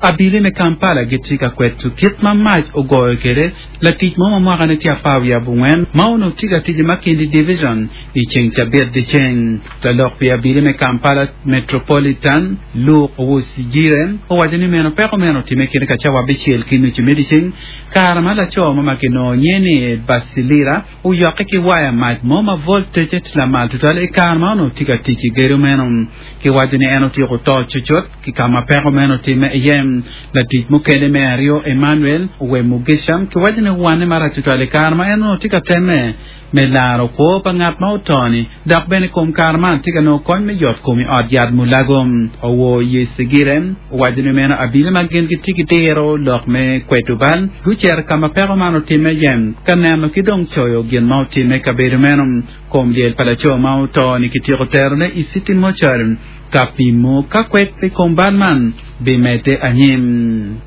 Abili me Kampala gitye ka kweto kit ma mac ogoyo kwede latic mo ma mwakane tye apar wiye abongwen ma onongo tye ka tic i Makindye Division i ceng cabit dyeceng. Lalok pi abili me Kampala Metropolitan, Luke Owoyesigyire owaco ni meno peko meno otimme kine ka cawa abicel ki nucu me dyeceng kare ma laco mo ma kinongo nyinge ni Basilira oyokke ki waya mac mo ma voltece tye lamal tutwal i kare ma onongo tye ka tic i gedo meno. Kiwaco ni en otyeko to cucut ki ka ma peko meno otimme iye. Latic mukene me aryo, Emmanuel Owemugisha, kiwaco ni owanne marac tutwal i kare ma en onongo tye ka temme me laro kwo pa ngat ma oto-ni, dok bene i kom kare man tye ka nongo kony me yot kom i ot yat Mulago. Owoyesigire owaco ni meno abili ma gin gitye ki diro lok me kwedo bal gucito ka ma peko man otimme iye ka neno ki dong coyo gin ma otimme i kabedo meno. Kom lyel pa laco ma oto-ni kityeko terone i City Mortuary ka pimo ka kwed pi kom bal man bimedde anyim.